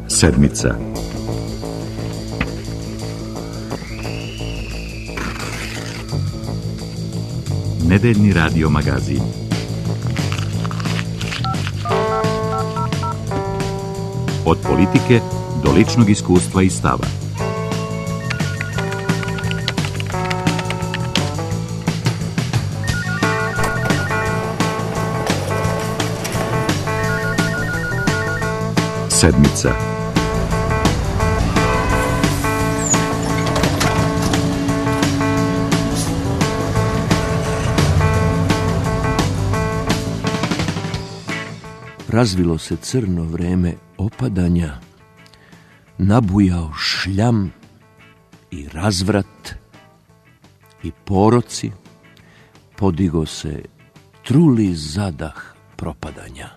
Sedmica. Nedeljni radio magazin. Od politike do ličnog iskustva i stava. Sedmica. Razvilo se crno vreme opadanja, nabujao šljam i razvrat i poroci, podigo se truli zadah propadanja.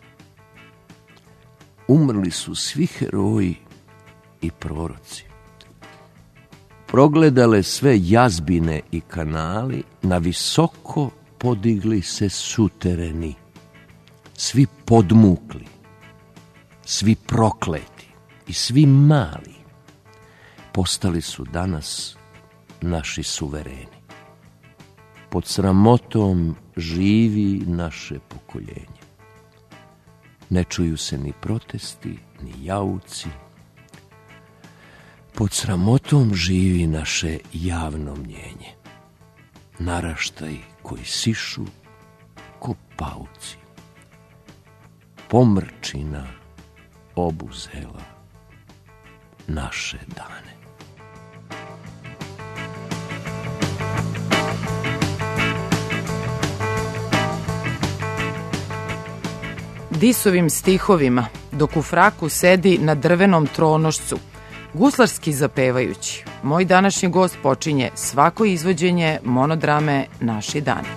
Umrli su svi heroji i proroci. Progledale sve jazbine i kanali, na visoko podigli se sutereni. Svi podmukli, svi prokleti i svi mali postali su danas naši suvereni. Pod sramotom živi naše pokoljenje. Ne čuju se ni protesti, ni jauci. Pod sramotom živi naše javno mnjenje. Naraštaji koji sišu ko pauci. Pomrčina obuzela naše dane. Disovim stihovima, dok u fraku sedi na drvenom tronošcu, guslarski zapevajući, moj današnji gost počinje svako izvođenje monodrame Naši dani.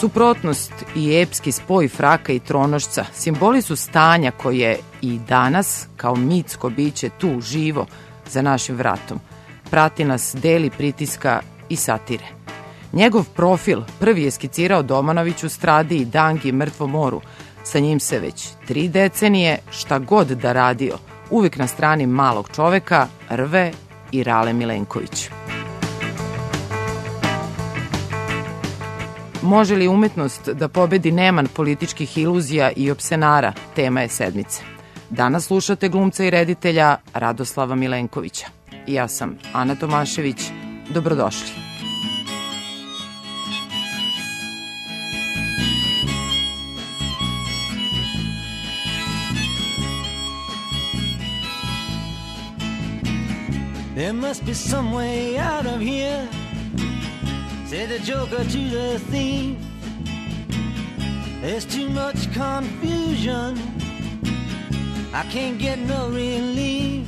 Suprotnost i epski spoj fraka i tronošca simboli su stanja koje i danas, kao mitsko biće tu živo za našim vratom, prati nas, deli pritiska i satire. Njegov profil prvi je skicirao Domanović u Stradi i Dangi Mrtvom moru. Sa njim se već 3 decenije, šta god da radio, uvijek na strani malog čoveka, rve i Rale Milenković. Može li umetnost da pobedi neman političkih iluzija i opsenara, tema je sedmice. Danas slušate glumca i reditelja Radoslava Milenkovića. Ja sam Ana Tomašević. Dobrodošli. There must be some way out of here, said the joker to the thief. There's too much confusion, I can't get no relief.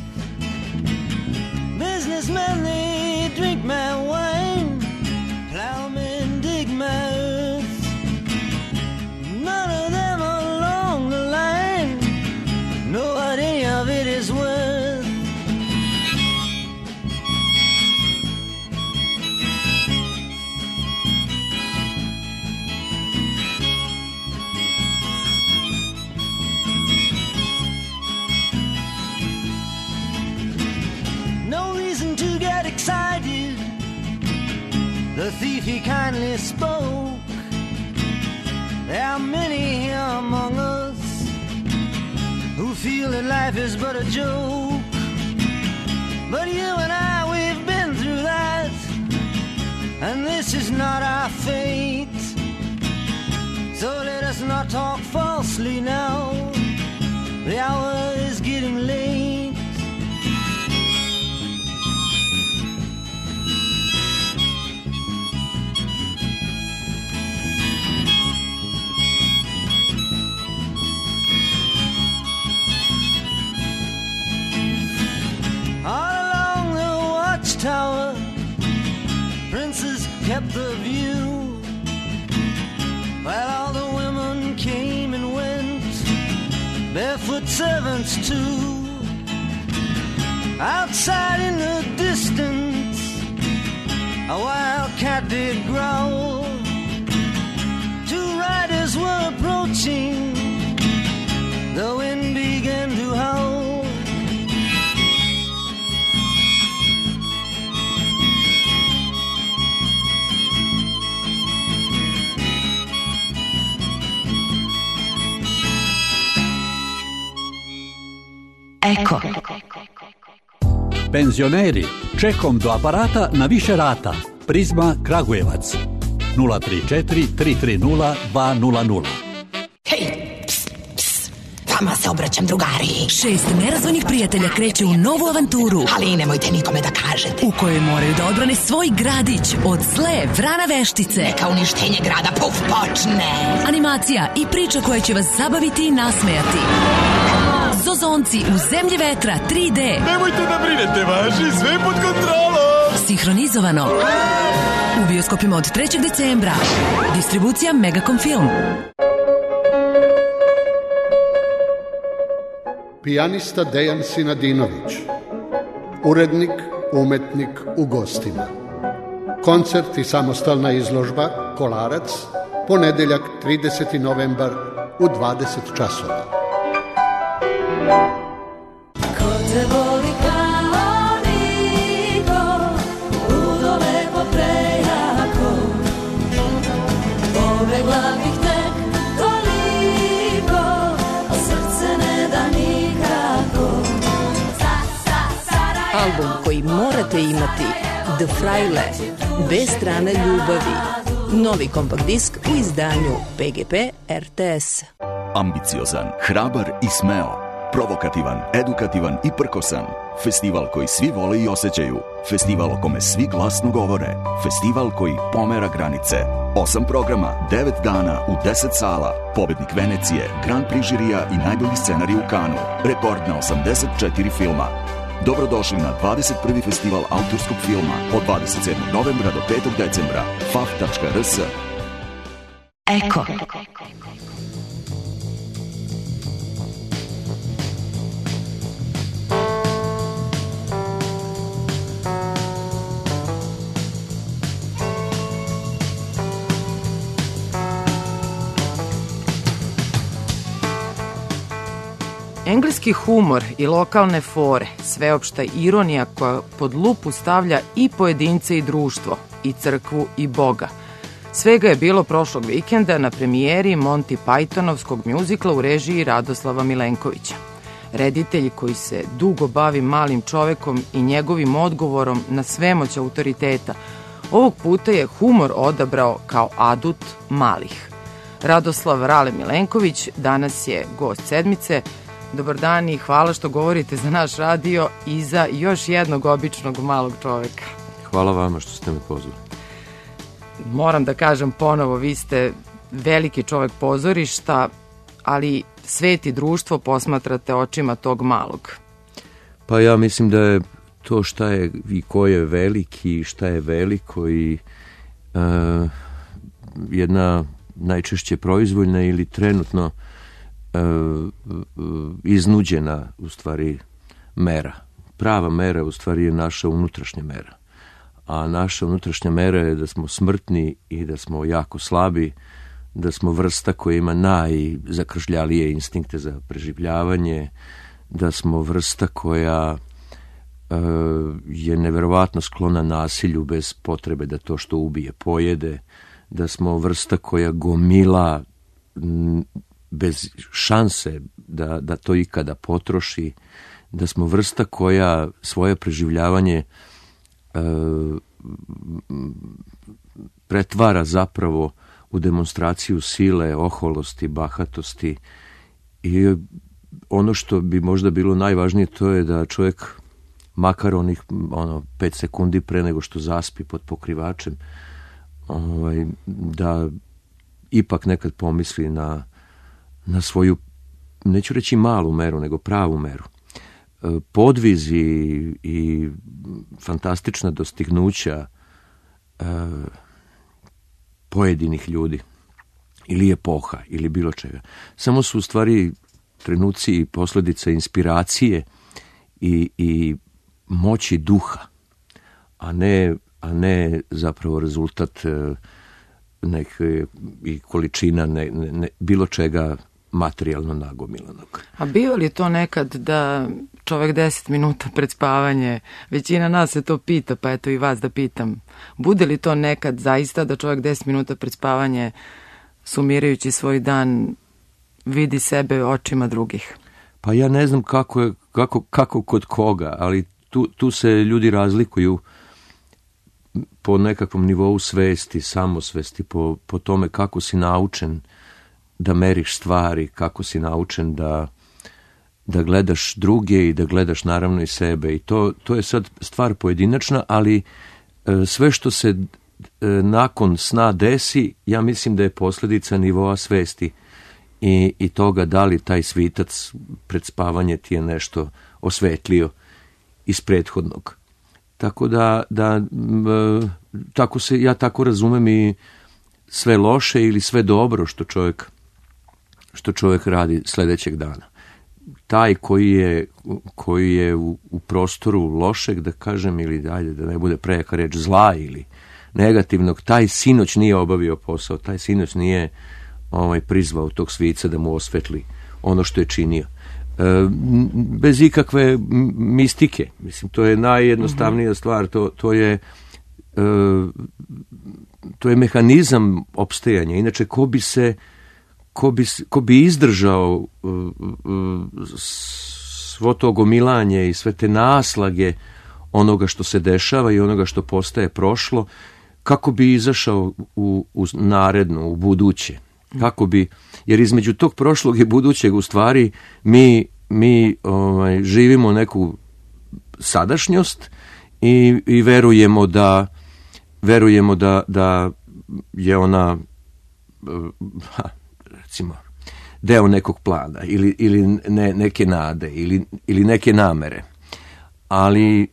Businessmen, they drink my wine, plowmen dig my earth. None of them along the line know what any of it is worth. Excited, the thief he kindly spoke. There are many here among us who feel that life is but a joke. But you and I, we've been through that, and this is not our fate. So let us not talk falsely now, the hour is getting late. Tower, princes kept the view, while all the women came and went, barefoot servants too. Outside in the distance, a wild cat did growl. Two riders Eko. Penzioneri, čekom do aparata na više rata. Prizma Kragujevac 034 330 200. Hej, pst, pst, vama se obraćam, drugari. 6 nerazvojnih prijatelja kreće u novu avanturu, Ali nemojte nikome da kažete. u kojoj moraju da odbrane svoj gradić od zle vrana veštice. Neka uništenje grada puf počne. Animacija i priča koja će vas zabaviti i nasmejati. Zozonci u zemlji vetra 3D. Nemojte da brinete, važi, sve pod kontrolom. Sinhronizovano. U bioskopima od 3. decembra. Distribucija Megacom Film. Pijanista Dejan Sinadinović, urednik, umetnik u gostima. Koncert i samostalna izložba Kolarac, ponedeljak 30. novembar u 20 časova. Ko te voli kao niko, ludo lepo prejako, pobegla bih tek toliko, a srce ne da nikako. Album koji morate imati, The Fraile, bez strane ljubavi. Novi kompakt disk u izdanju PGP RTS. Ambiciozan, hrabar i smeo. Provokativan, edukativan i prkosan. Festival koji svi vole i osjećaju. Festival o kome svi glasno govore. Festival koji pomera granice. 8 programa, 9 dana u 10 sala. Pobednik Venecije, Grand Prix žirija i najbolji scenarij u Kanu. Rekord na 84 filma. Dobrodošli na 21. festival autorskog filma od 27. novembra do 5. decembra. faf.rs. Eko. Engleski humor i lokalne fore, sveopšta ironija koja pod lupu stavlja i pojedince i društvo, i crkvu i Boga. Svega je bilo prošlog vikenda na premijeri Monty Pythonovskog mjuzikla u režiji Radoslava Milenkovića. Reditelj koji se dugo bavi malim čovekom i njegovim odgovorom na svemoć autoriteta, ovog puta je humor odabrao kao adut malih. Radoslav Rale Milenković danas je gost sedmice. Dobar dan i hvala što govorite za naš radio i za još jednog običnog malog čoveka. Hvala vama što ste me pozvali. Moram da kažem ponovo, vi ste veliki čovek pozorišta, ali svet i društvo posmatrate očima tog malog. Pa ja mislim da je to šta je i ko je veliki i šta je veliko i jedna najčešće proizvoljna ili trenutno iznuđena u stvari mera. Prava mera u stvari je naša unutrašnja mera. A naša unutrašnja mera je da smo smrtni i da smo jako slabi, da smo vrsta koja ima najzakržljalije instinkte za preživljavanje, da smo vrsta koja je neverovatno sklona nasilju bez potrebe da to što ubije pojede, da smo vrsta koja gomila bez šanse da to ikada potroši, da smo vrsta koja svoje preživljavanje pretvara zapravo u demonstraciju sile, oholosti, bahatosti. I ono što bi možda bilo najvažnije to je da čovjek makar onih 5 sekundi pre nego što zaspi pod pokrivačem, da ipak nekad pomisli na svoju, neću reći malu meru, nego pravu meru. Podvizi i fantastična dostignuća pojedinih ljudi ili epoha ili bilo čega. Samo su u stvari trenuci i posljedice inspiracije i moći duha, a ne zapravo rezultat neke i količina bilo čega materijalno nagomilanog. A bio li to nekad da čovjek 10 minuta pred spavanje, većina nas se to pita, pa eto i vas da pitam, bude li to nekad zaista da čovjek 10 minuta pred spavanje, sumirajući svoj dan, vidi sebe očima drugih? Pa ja ne znam kako kod koga, ali tu se ljudi razlikuju po nekakvom nivou svesti, samosvesti, po tome kako si naučen da meriš stvari, kako si naučen da gledaš druge i da gledaš naravno i sebe. I to je sad stvar pojedinačna, ali sve što se nakon sna desi, ja mislim da je posljedica nivoa svesti i toga da li taj svitac pred spavanje ti je nešto osvetlio iz prethodnog. Tako da ja tako razumem i sve loše ili sve dobro što čovjek radi sljedećeg dana. Taj koji je u prostoru lošeg, da kažem, ili da ne bude prejaka reč, zla ili negativnog, taj sinoć nije obavio posao, taj sinoć nije prizvao tog svica da mu osvetli ono što je činio. Bez ikakve mistike. Mislim, to je najjednostavnija stvar. To je mehanizam opstajanja. Inače, ko bi izdržao svo to gomilanje i sve te naslage onoga što se dešava i onoga što postaje prošlo, kako bi izašao u naredno, u buduće? Kako bi, jer između tog prošlog i budućeg u stvari mi živimo neku sadašnjost i verujemo da je ona recimo deo nekog plana ili neke nade ili neke namere. Ali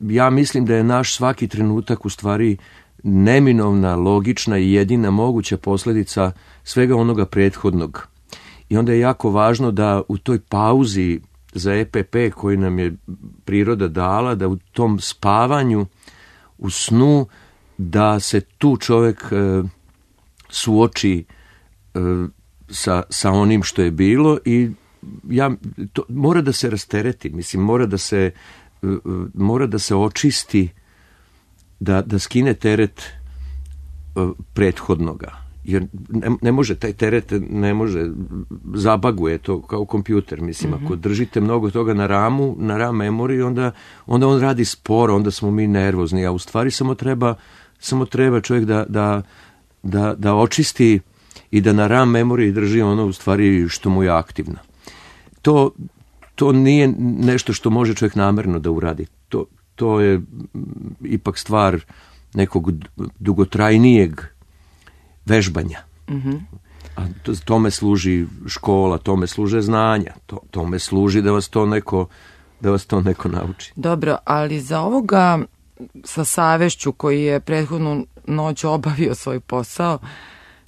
ja mislim da je naš svaki trenutak u stvari neminovna, logična i jedina moguća posljedica svega onoga prethodnog. I onda je jako važno da u toj pauzi za EPP koji nam je priroda dala, da u tom spavanju, u snu, da se tu čovjek suoči sa onim što je bilo i to mora da se rastereti, mislim, mora da se očisti, da skine teret prethodnoga. Jer ne može, taj teret ne može, zabaguje to kao kompjuter. Mislim, ako držite mnogo toga na RAM memoriji, onda on radi sporo, onda smo mi nervozni, a u stvari samo treba čovjek da očisti i da na RAM memoriji drži ono u stvari što mu je aktivno. To nije nešto što može čovjek namjerno da uradi. To je ipak stvar nekog dugotrajnijeg vežbanja. A tome služi škola, tome služe znanja, tome služi da vas to neko nauči. Dobro, ali za ovoga sa savešću koji je prethodnu noć obavio svoj posao,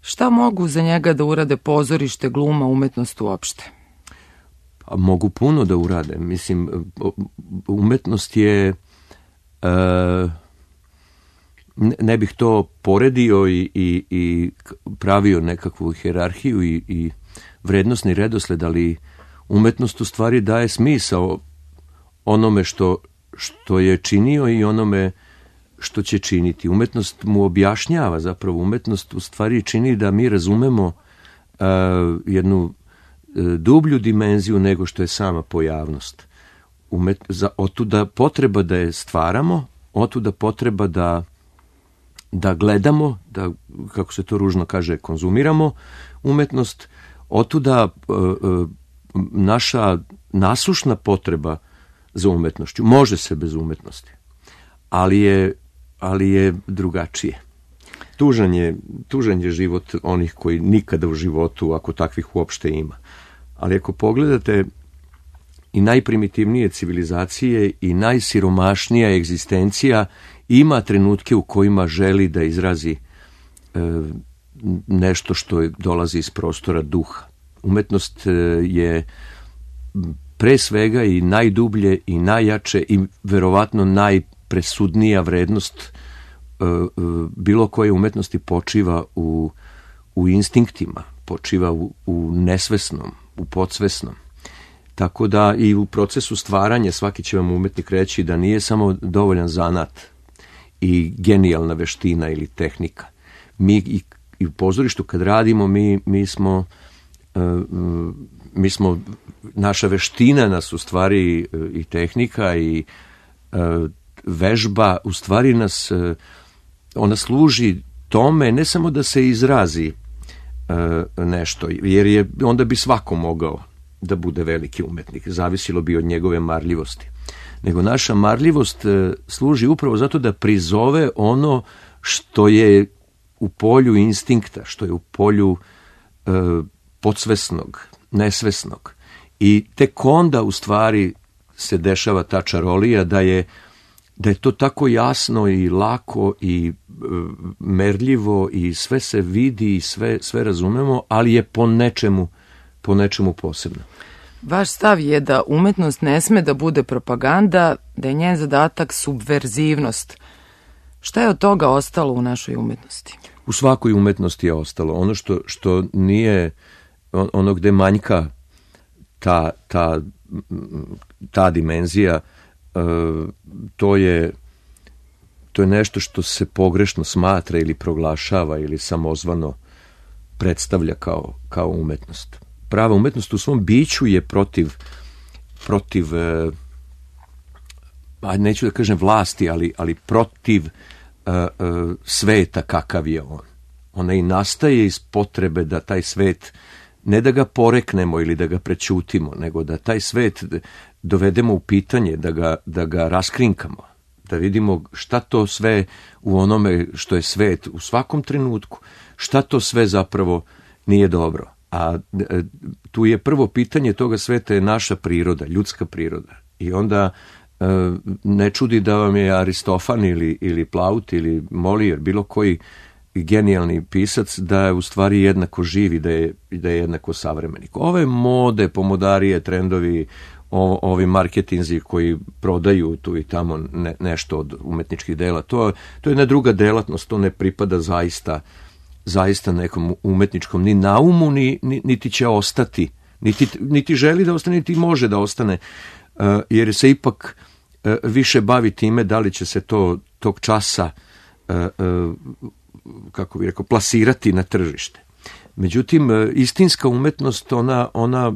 šta mogu za njega da urade pozorište, gluma, umetnost uopšte? A mogu puno da urade. Mislim, umetnost je ne bih to poredio i pravio nekakvu hijerarhiju i vrednosni redosled, ali umetnost u stvari daje smisao onome što je činio i onome što će činiti. Umetnost mu objašnjava, zapravo umetnost u stvari čini da mi razumemo jednu dublju dimenziju nego što je sama pojavnost. Otuda potreba da je stvaramo, otuda potreba da gledamo, da, kako se to ružno kaže, konzumiramo umetnost, otuda naša nasušna potreba za umetnošću. Može se bez umetnosti, ali je drugačije. Tužan je život onih koji nikada u životu, ako takvih uopšte ima. Ali ako pogledate i najprimitivnije civilizacije i najsiromašnija egzistencija ima trenutke u kojima želi da izrazi nešto što dolazi iz prostora duha. Umetnost je pre svega i najdublje i najjače i verovatno najpresudnija vrednost bilo koje umetnosti počiva u instinktima, počiva u nesvesnom, u podsvesnom. Tako da i u procesu stvaranja svaki će vam umetnik reći da nije samo dovoljan zanat i genijalna veština ili tehnika. Mi i u pozorištu kad radimo, mi smo mi smo, naša veština nas u stvari i tehnika i vežba u stvari nas, ona služi tome ne samo da se izrazi nešto, jer onda bi svako mogao da bude veliki umetnik, zavisilo bi od njegove marljivosti. Nego naša marljivost služi upravo zato da prizove ono što je u polju instinkta, što je u polju podsvesnog, nesvesnog. I tek onda u stvari se dešava ta čarolija da je to tako jasno i lako i merljivo i sve se vidi i sve razumemo, ali je po nečemu posebno. Vaš stav je da umetnost ne sme da bude propaganda, da je njen zadatak subverzivnost. Šta je od toga ostalo u našoj umetnosti? U svakoj umetnosti je ostalo. Ono što nije, ono gde manjka ta dimenzija, to je nešto što se pogrešno smatra ili proglašava ili samozvano predstavlja kao umetnost. Prava umetnost u svom biću je protiv neću da kažem vlasti, ali protiv sveta kakav je on. Ona i nastaje iz potrebe da taj svet, ne da ga poreknemo ili da ga prećutimo, nego da taj svet dovedemo u pitanje, da ga raskrinkamo, da vidimo šta to sve u onome što je svet u svakom trenutku, šta to sve zapravo nije dobro. A tu je prvo pitanje toga sveta je naša priroda, ljudska priroda. I onda ne čudi da vam je Aristofan ili Plaut ili Molière, bilo koji genijalni pisac, da je u stvari jednako živ i da je jednako savremenik. Ove mode, pomodarije, trendovi, ovi marketinzi koji prodaju tu i tamo nešto od umetničkih dela, to je jedna druga delatnost, to ne pripada zaista nekom umetničkom ni naumu, niti će ostati, niti želi da ostane, niti može da ostane, jer se ipak više bavi time da li će se tog časa, kako bih rekao, plasirati na tržište. Međutim, istinska umetnost, ona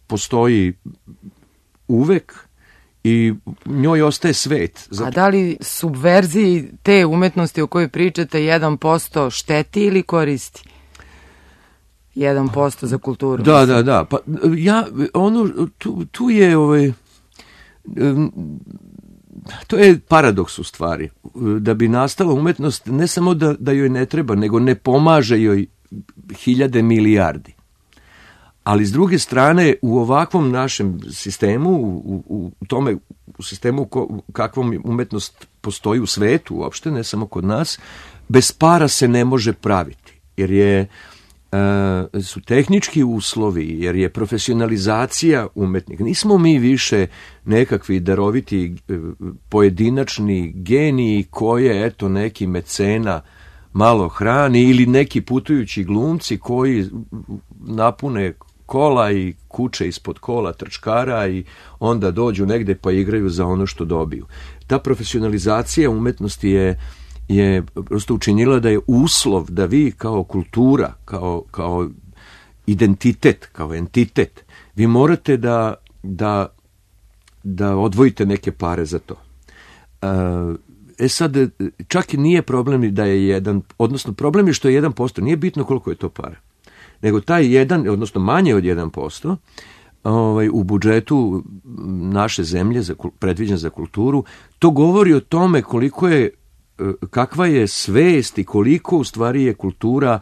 postoji uvek i njoj ostaje svet. A da li subverziji te umetnosti o kojoj pričate 1% šteti ili koristi? 1% za kulturu. Da. Pa tu je to je paradoks u stvari. Da bi nastala umetnost, ne samo da joj ne treba, nego ne pomaže joj hiljade milijardi. Ali s druge strane, u ovakvom našem sistemu, u sistemu kakvom umetnost postoji u svetu uopšte, ne samo kod nas, bez para se ne može praviti. Jer su tehnički uslovi, jer je profesionalizacija umetnika. Nismo mi više nekakvi daroviti pojedinačni geniji koje, neki mecena malo hrani ili neki putujući glumci koji napune kola i kuće ispod kola trčkara i onda dođu negde pa igraju za ono što dobiju. Ta profesionalizacija umetnosti je prosto učinila da je uslov da vi kao kultura, kao identitet, kao entitet, vi morate da odvojite neke pare za to. Sad, čak i nije problem da je odnosno problem je što je 1%, nije bitno koliko je to para. Nego taj 1, odnosno manje od 1%, u budžetu naše zemlje predviđen za kulturu, to govori o tome kakva je svest i koliko u stvari je kultura,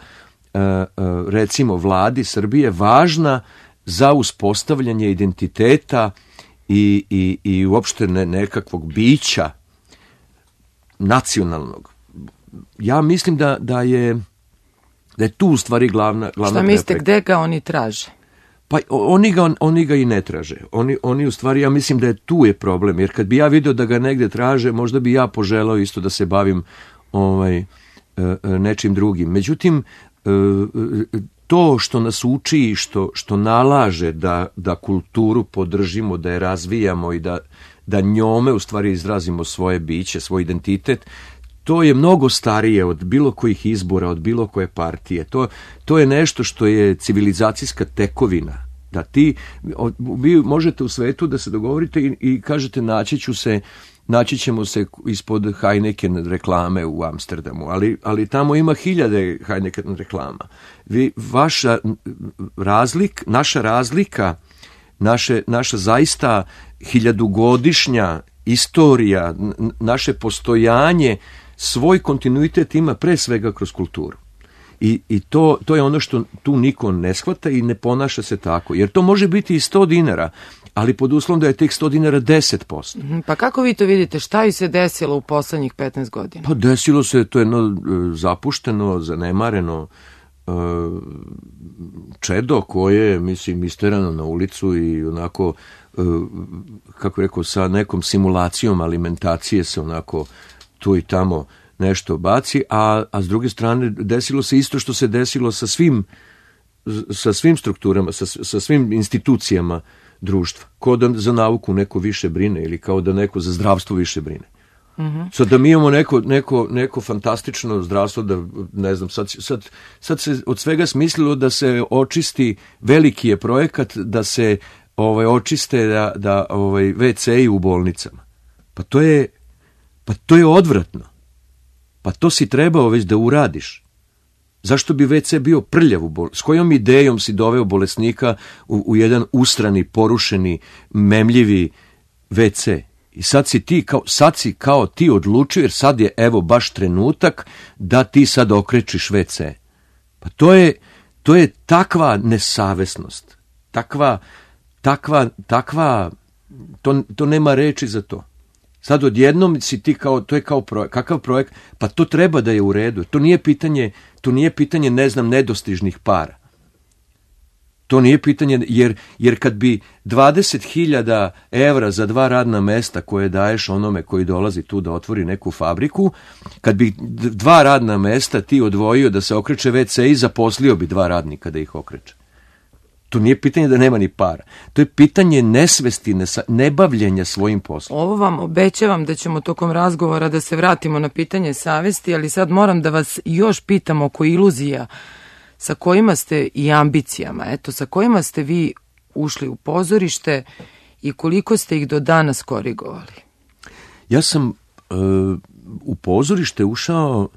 recimo vladi Srbije, važna za uspostavljanje identiteta i uopšte nekakvog bića nacionalnog. Ja mislim da je tu u stvari glavna Šta mislite, gde ga oni traže? Pa oni ga i ne traže. Oni u stvari, ja mislim da tu je problem, jer kad bi ja vidio da ga negde traže, možda bi ja poželao isto da se bavim nečim drugim. Međutim, to što nas uči i što nalaže da kulturu podržimo, da je razvijamo i da njome u stvari izrazimo svoje biće, svoj identitet, to je mnogo starije od bilo kojih izbora, od bilo koje partije. To je nešto što je civilizacijska tekovina. Da vi možete u svetu da se dogovorite i kažete naći ćemo se ispod Heineken reklame u Amsterdamu, ali tamo ima 1000 Heineken reklama. Naša razlika, naša zaista 1000-godišnja istorija, naše postojanje, svoj kontinuitet ima pre svega kroz kulturu. I to je ono što tu niko ne shvata i ne ponaša se tako. Jer to može biti i 100 dinara, ali pod uslovom da je tih 100 dinara 10%. Pa kako vi to vidite? Šta je se desilo u poslednjih 15 godina? Pa desilo se, to je jedno zapušteno, zanemareno čedo koje, mislim, isterano na ulicu i onako, kako rekao, sa nekom simulacijom alimentacije se onako tu i tamo nešto baci, a s druge strane desilo se isto što se desilo sa svim strukturama, sa svim institucijama društva. Kao da za nauku neko više brine ili kao da neko za zdravstvo više brine. Sad da mi imamo neko fantastično zdravstvo, da ne znam, sad se od svega smislilo da se očisti, veliki je projekat da se očiste da WC-i u bolnicama. Pa to je odvratno. Pa to si trebao već da uradiš. Zašto bi WC bio prljav u bolnici? S kojom idejom si doveo bolesnika u jedan ustrani, porušeni, memljivi WC? I sad si kao ti odlučio, jer sad je evo baš trenutak da ti sad okrečiš WC. Pa to je takva nesavesnost. To nema reči za to. Sad odjednom si ti to je kao projekt. Kakav projekt? Pa to treba da je u redu. To nije pitanje, ne znam, nedostižnih para. To nije pitanje, jer kad bi 20.000 evra za 2 radna mesta koje daješ onome koji dolazi tu da otvori neku fabriku, kad bi 2 radna mesta ti odvojio da se okreće WC i zaposlio bi 2 radnika da ih okreće. To nije pitanje da nema ni para. To je pitanje nesvesti, nebavljenja svojim poslom. Ovo vam obećavam da ćemo tokom razgovora da se vratimo na pitanje savesti, ali sad moram da vas još pitam oko iluzija sa kojima ste i ambicijama, sa kojima ste vi ušli u pozorište i koliko ste ih do danas korigovali? Ja sam u pozorište ušao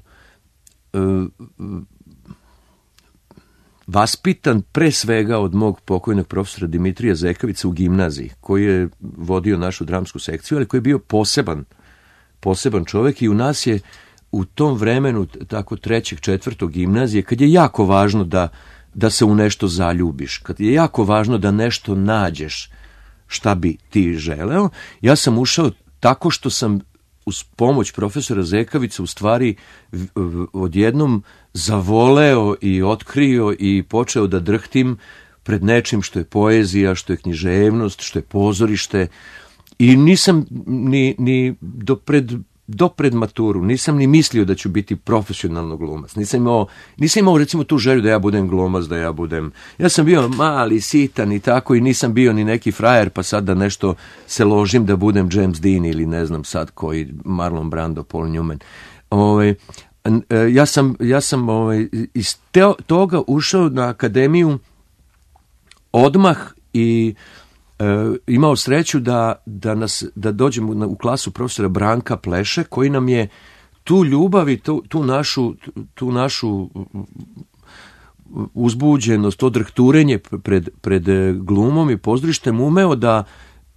vaspitan pre svega od mog pokojnog profesora Dimitrija Zekavica u gimnaziji, koji je vodio našu dramsku sekciju, ali koji je bio poseban čovjek i u nas je u tom vremenu, tako 3., 4. gimnazije, kad je jako važno da se u nešto zaljubiš, kad je jako važno da nešto nađeš šta bi ti želeo, ja sam ušao tako što sam uz pomoć profesora Zekavica u stvari odjednom zavoleo i otkrio i počeo da drhtim pred nečim što je poezija, što je književnost, što je pozorište i nisam ni do pred maturu, nisam ni mislio da ću biti profesionalno glumac. Nisam imao recimo tu želju da ja budem glumac, ja sam bio mali, sitan i tako i nisam bio ni neki frajer pa sad da nešto se ložim da budem James Dean ili ne znam sad koji Marlon Brando, Paul Newman. Ja sam iz toga ušao na akademiju odmah i imao sreću da dođemo u klasu profesora Branka Pleše, koji nam je tu ljubav i tu našu uzbuđenost, to drhturenje pred glumom i pozorištem umeo da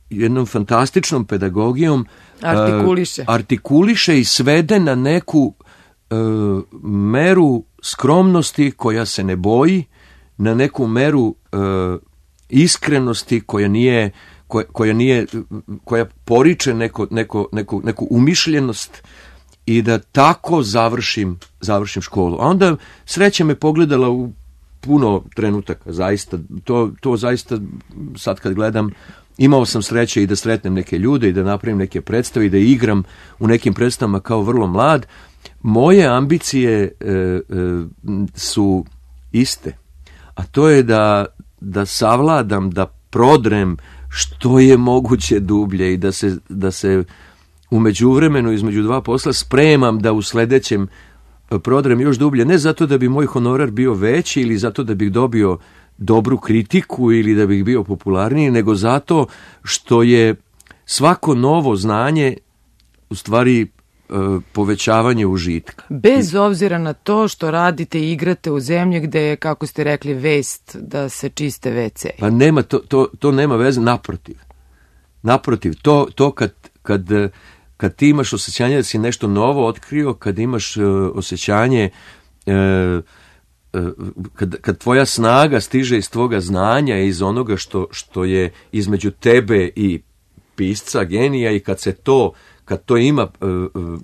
jednom fantastičnom pedagogijom artikuliše i svede na neku meru skromnosti koja se ne boji, na neku meru iskrenosti koja poriče neku umišljenost i da tako završim školu. A onda sreća me pogledala u puno trenutaka, zaista, to zaista sad kad gledam, imao sam sreće i da sretnem neke ljude i da napravim neke predstave i da igram u nekim predstavama kao vrlo mlad. Moje ambicije su iste, a to je da savladam, da prodrem što je moguće dublje i u međuvremenu između dva posla spremam da u sledećem prodrem još dublje, ne zato da bi moj honorar bio veći ili zato da bih dobio dobru kritiku ili da bih bio popularniji, nego zato što je svako novo znanje u stvari povećavanje užitka. Bez obzira na to što radite i igrate u zemlji gde je, kako ste rekli, vest da se čiste WC. Pa nema, to nema veze, naprotiv, to kad ti imaš osjećanje da si nešto novo otkrio, kad imaš osjećanje kad tvoja snaga stiže iz tvoga znanja, iz onoga što je između tebe i pisca, genija, i kad to ima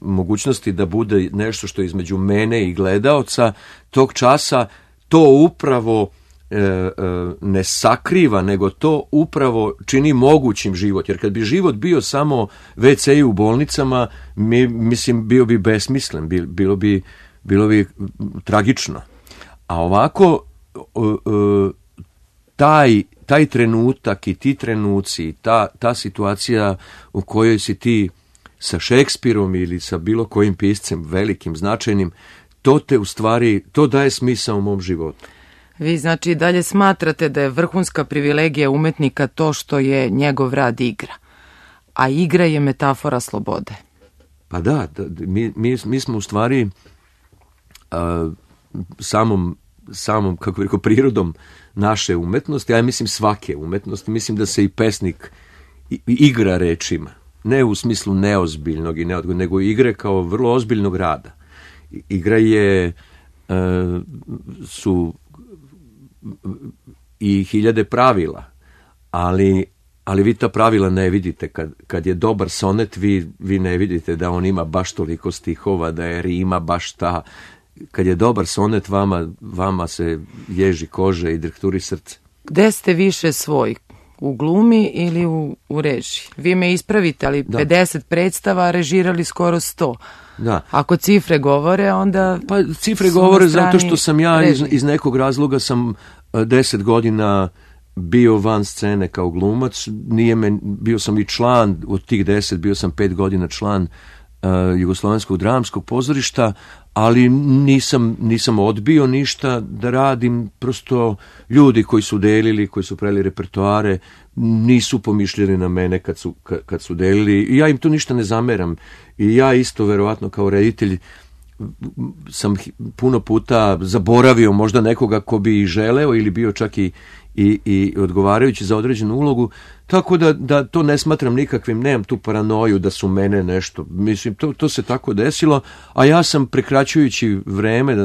mogućnosti da bude nešto što je između mene i gledaoca, tog časa to upravo ne sakriva, nego to upravo čini mogućim život. Jer kad bi život bio samo WC u bolnicama, mislim, bio bi besmislen, bilo bi tragično. A ovako, taj trenutak i ti trenuci, ta situacija u kojoj si ti sa Šekspirom ili sa bilo kojim piscem velikim, značajnim, to te u stvari, to daje smisao u mom životu. Vi znači dalje smatrate da je vrhunska privilegija umetnika to što je njegov rad igra, a igra je metafora slobode. Pa da, mi smo u stvari samom, kako bih rekao, prirodom naše umetnosti, a ja mislim svake umetnosti, mislim da se i pesnik igra rečima, ne u smislu neozbiljnog i neodgovornog, nego igre kao vrlo ozbiljnog rada. Igra su i hiljade pravila, ali vi ta pravila ne vidite. Kad je dobar sonet, vi ne vidite da on ima baš toliko stihova, da je rima baš ta. Kad je dobar sonet, vama se ježi kože i drhturi srce. Gde ste više svoj? U glumi ili u režiji? Vi me ispravite, ali da. 50 predstava, režirali skoro 100. Da. Ako cifre govore, onda... Pa cifre govore zato što sam ja iz nekog razloga sam 10 godina bio van scene kao glumac. Bio sam i član, od tih 10 bio sam 5 godina član Jugoslovenskog dramskog pozorišta, ali nisam odbio ništa da radim. Prosto ljudi koji su delili, koji su pravili repertoare, nisu pomišljali na mene kad su delili, i ja im to ništa ne zameram. I ja isto, verovatno, kao reditelj sam puno puta zaboravio možda nekoga ko bi želeo ili bio čak i odgovarajući za određenu ulogu, tako da to ne smatram nikakvim, nemam tu paranoju da su mene nešto, mislim, to se tako desilo, a ja sam prekraćujući vreme,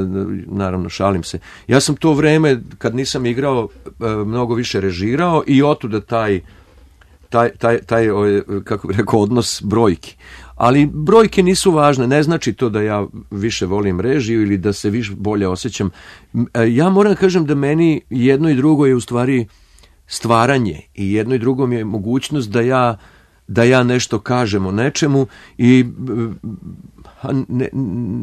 naravno šalim se, ja sam to vreme kad nisam igrao mnogo više režirao, i otuda taj kako bih rekao, odnos brojki. Ali brojke nisu važne, ne znači to da ja više volim režiju ili da se više bolje osjećam. Ja moram kažem da meni jedno i drugo je u stvari stvaranje, i jedno i drugo mi je mogućnost da ja nešto kažem o nečemu, i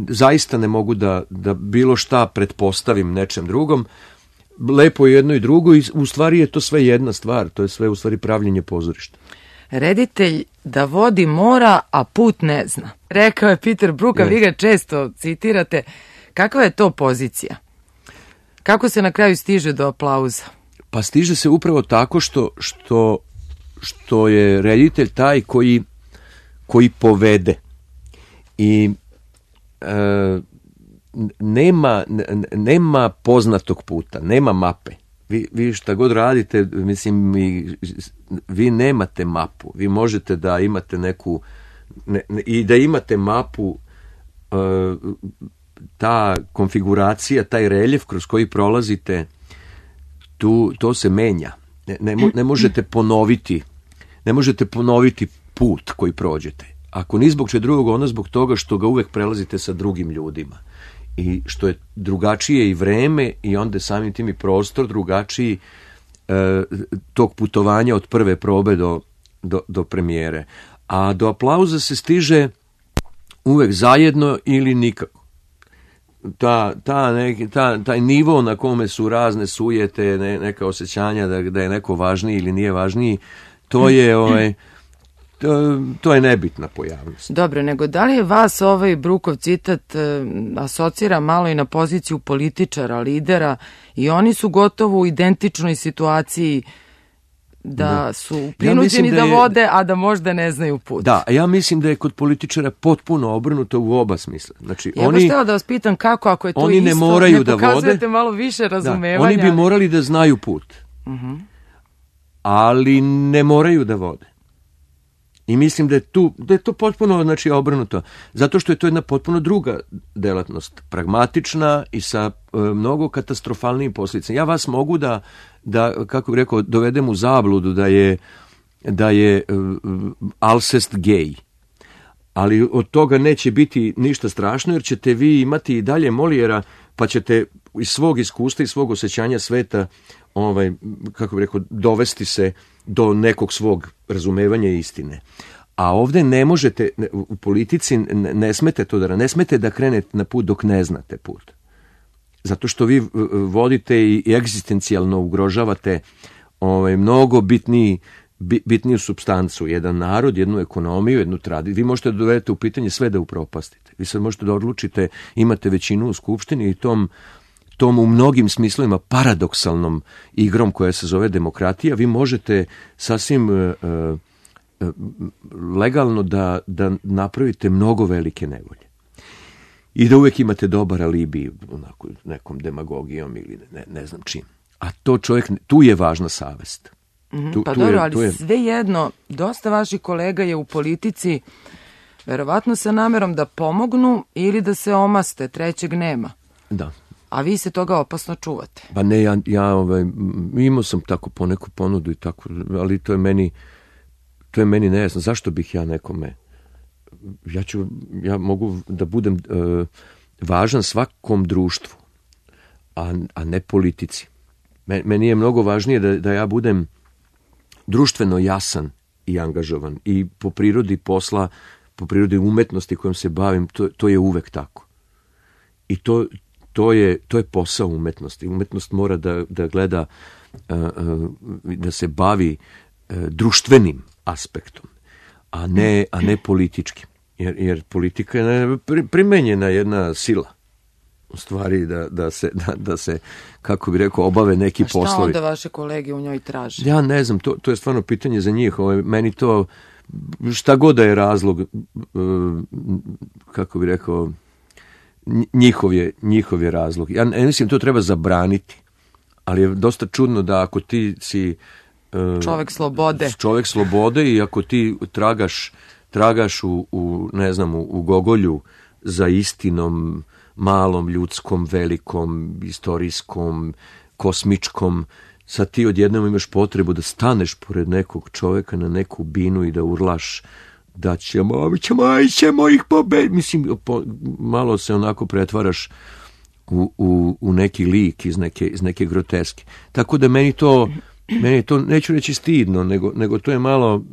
zaista ne mogu da bilo šta pretpostavim nečem drugom. Lepo je jedno i drugo, i u stvari je to sve jedna stvar, to je sve u stvari pravljenje pozorišta. Reditelj da vodi mora, a put ne zna. Rekao je Peter Brook, a vi ga često citirate. Kakva je to pozicija? Kako se na kraju stiže do aplauza? Pa stiže se upravo tako što je reditelj taj koji povede. I nema poznatog puta, nema mape. Vi šta god radite, mislim, vi nemate mapu. Vi možete da imate neku, i da imate mapu, ta konfiguracija, taj reljef kroz koji prolazite, to se menja. Ne možete ponoviti put koji prođete. Ako ni zbog čega drugog, onda zbog toga što ga uvek prelazite sa drugim ljudima. I što je drugačije i vreme, i onda samim tim i prostor drugačiji tog putovanja od prve probe do premijere. A do aplauza se stiže uvek zajedno ili nikako. Taj nivo na kome su razne sujete, neka osjećanja da je neko važniji ili nije važniji, to je nebitna pojavnost. Dobro, nego da li je vas ovaj Brukov citat asocira malo i na poziciju političara, lidera, i oni su gotovo u identičnoj situaciji da su prinuđeni da vode, a da možda ne znaju put. Da, ja mislim da je kod političara potpuno obrnuto u oba smisla. Znači, ja baš htjela da vas pitam kako, ako je to oni isto, ne moraju da pokazujete vode, malo više razumevanja. Oni bi morali da znaju put, ali ne moraju da vode. I mislim da je to potpuno, znači, obrnuto. Zato što je to jedna potpuno druga delatnost, pragmatična i sa mnogo katastrofalnijim posljedicama. Ja vas mogu da kako bih rekao, dovedem u zabludu da je Alcest gej. Ali od toga neće biti ništa strašno, jer ćete vi imati i dalje Molijera, pa ćete iz svog iskustva i svog osjećanja sveta, kako bih rekao, dovesti se do nekog svog razumevanja istine. A ovdje ne možete, u politici ne smete to ne smete da krenete na put dok ne znate put. Zato što vi vodite i egzistencijalno ugrožavate mnogo bitniju supstancu, jedan narod, jednu ekonomiju, jednu tradiciju. Vi možete da dovedete u pitanje sve da upropastite. Vi sad možete da odlučite, imate većinu u skupštini i tom u mnogim smislovima paradoksalnom igrom koja se zove demokratija, vi možete sasvim legalno da napravite mnogo velike nevolje. I da uvijek imate dobar alibi onako, nekom demagogijom ili ne znam čim. A to tu je važna savest. Ali svejedno, dosta vaših kolega je u politici verovatno sa namerom da pomognu ili da se omaste, trećeg nema. Da. A vi se toga opasno čuvate. Pa ne, ja imao sam tako poneku ponudu i tako, ali to je meni nejasno. Zašto bih ja nekome... Ja mogu da budem važan svakom društvu, a ne politici. Meni je mnogo važnije da ja budem društveno jasan i angažovan i po prirodi posla, po prirodi umetnosti kojom se bavim, to je uvek tako. I to je posao umetnosti. Umetnost mora da gleda, da se bavi društvenim aspektom, a ne političkim. Jer politika je primenjena jedna sila. U stvari da se, kako bi rekao, obave neki poslovi. A šta onda vaše kolege u njoj traže? Ja ne znam, to je stvarno pitanje za njih. Meni to, šta god da je razlog, kako bi rekao, njihov je razlog. Ja ne mislim, to treba zabraniti. Ali je dosta čudno da ako ti si čovjek slobode i ako ti tragaš u Gogolju za istinom, malom, ljudskom, velikom, istorijskom, kosmičkom, sad ti odjednom imaš potrebu da staneš pored nekog čovjeka na neku binu i da urlaš da ćemo ih pobediti. Mislim, malo se onako pretvaraš u neki lik iz neke groteske. Tako da meni je to, neću reći stidno, nego to je malo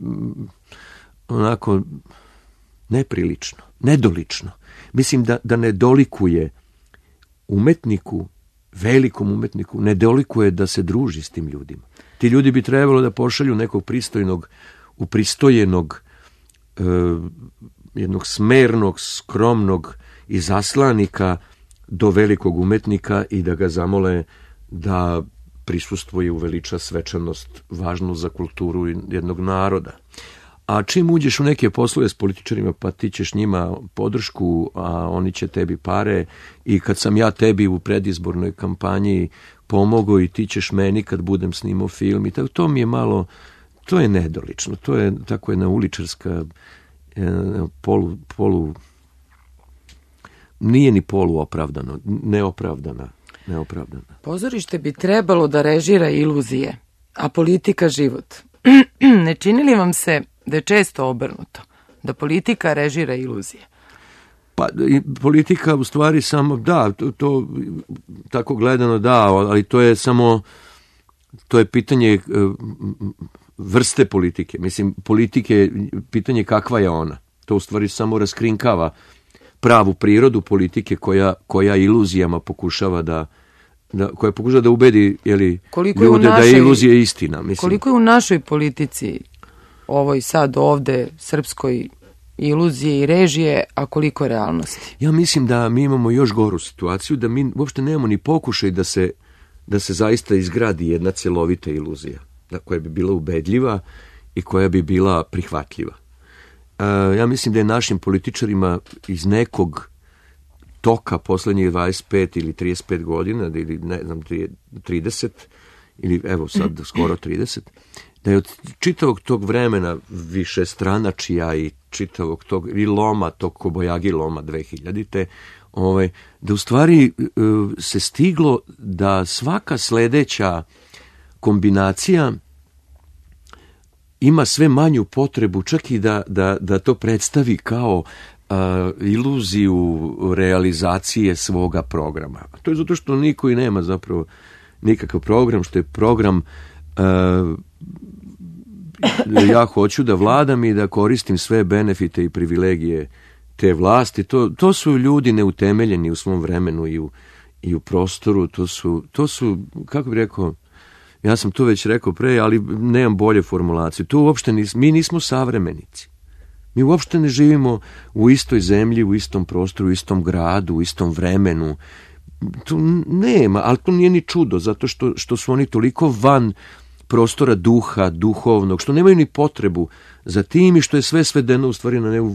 onako neprilično, nedolično. Mislim da ne dolikuje umetniku, velikom umetniku, ne dolikuje da se druži s tim ljudima. Ti ljudi bi trebalo da pošalju nekog pristojnog, upristojenog, jednog smernog, skromnog izaslanika do velikog umetnika i da ga zamole da prisustvuje, uveliča svečanost važnu za kulturu jednog naroda. A čim uđeš u neke poslove s političarima, pa ti ćeš njima podršku, a oni će tebi pare, i kad sam ja tebi u predizbornoj kampanji pomogao i ti ćeš meni kad budem snimao film, i to mi je malo, to je nedolično, to je tako jedna uličarska nije ni poluopravdano, neopravdana. Pozorište bi trebalo da režira iluzije, a politika život. Ne čini li vam se da je često obrnuto, da politika režira iluzije? Pa politika u stvari samo, da, to tako gledano da, ali to je samo, to je pitanje vrste politike. Mislim, politike, pitanje kakva je ona. To u stvari samo raskrinkava pravu prirodu politike koja iluzijama pokušava da ubedi ljude da je iluzija istina. Mislim. Koliko je u našoj politici ovoj sad ovde srpskoj iluzije i režije, a koliko realnosti? Ja mislim da mi imamo još goru situaciju, da mi uopšte nemamo ni pokušaj da se zaista izgradi jedna celovita iluzija, koja bi bila ubedljiva i koja bi bila prihvatljiva. Ja mislim da je našim političarima iz nekog toka poslednjih 25 ili 35 godina, ili ne znam, 30, ili evo sad skoro 30, da je od čitavog tog vremena više stranačija i čitavog tog i loma, tog Kobojagi loma 2000-te, da u stvari se stiglo da svaka sledeća kombinacija ima sve manju potrebu, čak i da to predstavi kao iluziju realizacije svoga programa. To je zato što niko i nema zapravo nikakav program, što je program ja hoću da vladam i da koristim sve benefite i privilegije te vlasti. To su ljudi neutemeljeni u svom vremenu i u prostoru. To su, kako bih rekao, ja sam to već rekao pre, ali nemam bolje formulacije. To uopšte mi nismo savremenici. Mi uopšte ne živimo u istoj zemlji, u istom prostoru, u istom gradu, u istom vremenu. Tu nema, ali to nije ni čudo, zato što su oni toliko van prostora duha, duhovnog, što nemaju ni potrebu za tim i što je sve svedeno u stvari na neku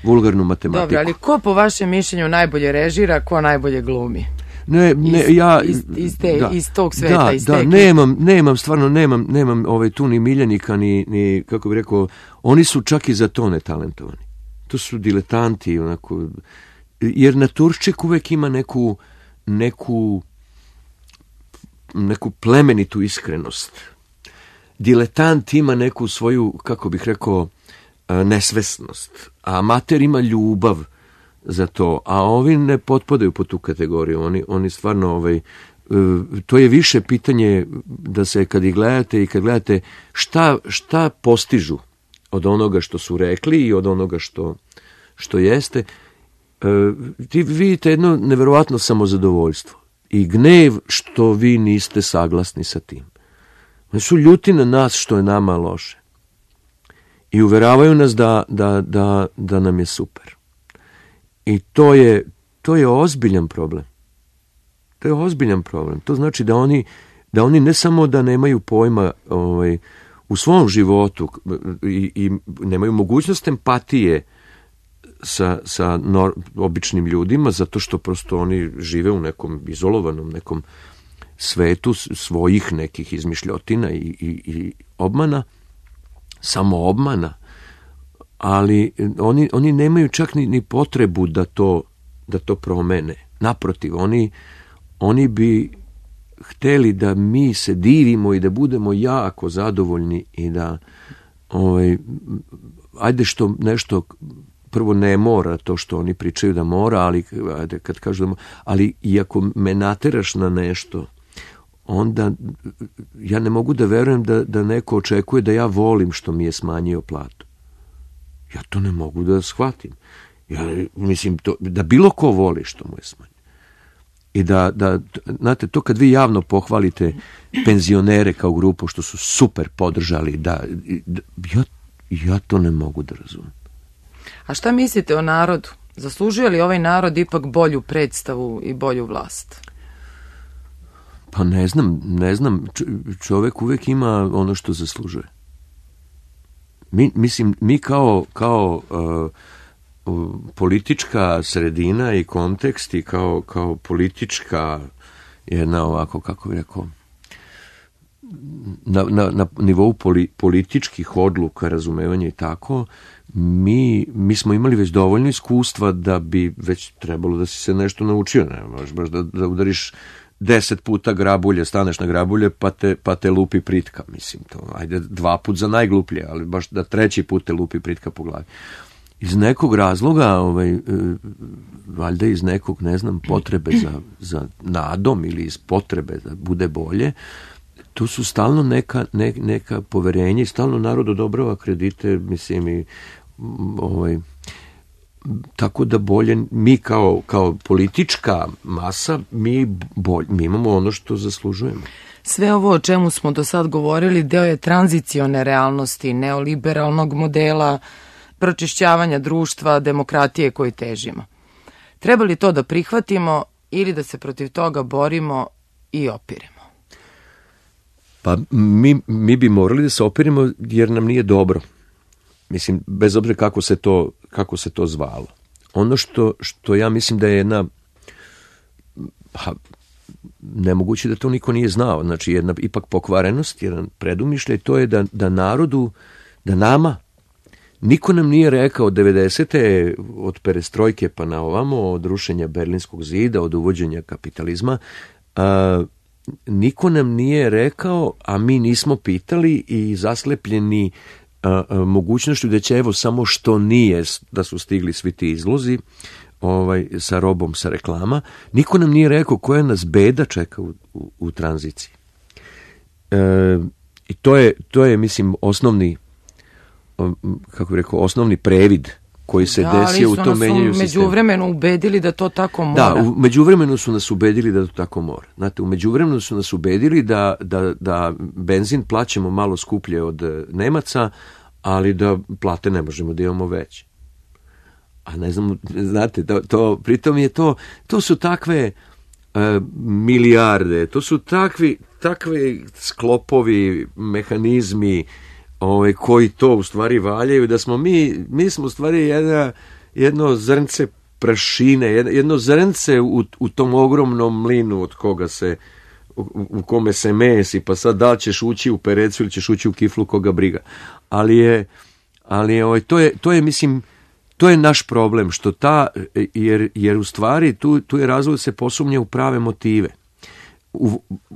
vulgarnu matematiku. Dobro, ali ko po vašem mišljenju najbolje režira, ko najbolje glumi? Iz tog sveta, iz teke. Nemam tu ni miljenika, ni, kako bih rekao, oni su čak i za to netalentovani. To su diletanti, onako, jer naturščik uvek ima neku plemenitu iskrenost. Diletant ima neku svoju, kako bih rekao, nesvesnost, a amater ima ljubav za to, a ovi ne potpadaju po tu kategoriju. Oni stvarno, to je više pitanje da se kad ih gledate i kad gledate šta postižu od onoga što su rekli i od onoga što jeste, ti vidite jedno neverovatno samozadovoljstvo i gnev što vi niste saglasni sa tim. Oni su ljuti na nas što je nama loše i uveravaju nas da nam je super. I to je ozbiljan problem. To je ozbiljan problem. To znači da oni ne samo da nemaju pojma u svom životu i nemaju mogućnost empatije sa običnim ljudima, zato što prosto oni žive u nekom izolovanom nekom svetu svojih nekih izmišljotina i obmana, samo obmana, ali oni nemaju čak ni potrebu da to promene. Naprotiv, oni bi hteli da mi se divimo i da budemo jako zadovoljni i da ajde što nešto prvo ne mora to što oni pričaju da mora, ali kad kažu da mora, ali i ako me nateraš na nešto, onda ja ne mogu da verujem da neko očekuje da ja volim što mi je smanjio platu. Ja to ne mogu da shvatim. Ja mislim da bilo ko voli što mu je smanjio. I znate, to kad vi javno pohvalite penzionere kao grupu što su super podržali, ja to ne mogu da razumem. A šta mislite o narodu? Zaslužuje li ovaj narod ipak bolju predstavu i bolju vlast? Pa ne znam. Čovek uvek ima ono što zaslužuje. Mi kao politička sredina i kontekst i kao politička jedna ovako, kako bih rekao, na nivou političkih odluka, razumevanja i tako, mi smo imali već dovoljno iskustva da bi već trebalo da si se nešto naučio. Ne možeš baš da udariš 10 puta grabulje, staneš na grabulje pa te lupi pritka, mislim to. Ajde 2 put za najgluplje, ali baš da 3. put te lupi pritka po glavi. Iz nekog razloga, valjda iz nekog, ne znam, potrebe za nadom ili iz potrebe da bude bolje, tu su stalno neka poverenja i stalno narod odobrava kredite, mislim, i tako da bolje, mi kao politička masa, mi imamo ono što zaslužujemo. Sve ovo o čemu smo do sad govorili deo je tranzicione realnosti, neoliberalnog modela, pročišćavanja društva, demokratije koji težimo. Treba li to da prihvatimo ili da se protiv toga borimo i opiremo? Pa mi bi morali da se opiremo jer nam nije dobro. Mislim, bez obzira kako se to zvalo. Ono što ja mislim da je jedna, nemoguće da to niko nije znao, znači jedna ipak pokvarenost, jedan predumišljaj, to je da narodu, da nama, niko nam nije rekao 90. od perestrojke pa na ovamo, od rušenja Berlinskog zida, od uvođenja kapitalizma, niko nam nije rekao, a mi nismo pitali i zaslepljeni mogućnošću da će evo samo što nije da su stigli svi ti izlozi sa robom, sa reklama, niko nam nije rekao koja nas beda čeka u tranziciji. I to je mislim osnovni, kako bih rekao, osnovni previd koji se desio u tom menjanju sistema. Međuvremenu ubedili da to tako mora. Da, u međuvremenu su nas ubedili da to tako mora. Znate, u međuvremenu su nas ubedili da benzin plaćamo malo skuplje od Nemaca, ali da plate ne možemo da imamo veće. A ne znam, znate, pritom je to su takve milijarde, to su takvi sklopovi, mehanizmi koji to u stvari valjaju, da smo mi smo u stvari jedno zrnce prašine, jedno zrnce u tom ogromnom mlinu od koga u kome se mesi, pa sad da li ćeš ući u perecu ili ćeš ući u kiflu, koga briga. Ali to je mislim, to je naš problem, što jer u stvari tu je razlog da se posumnja u prave motive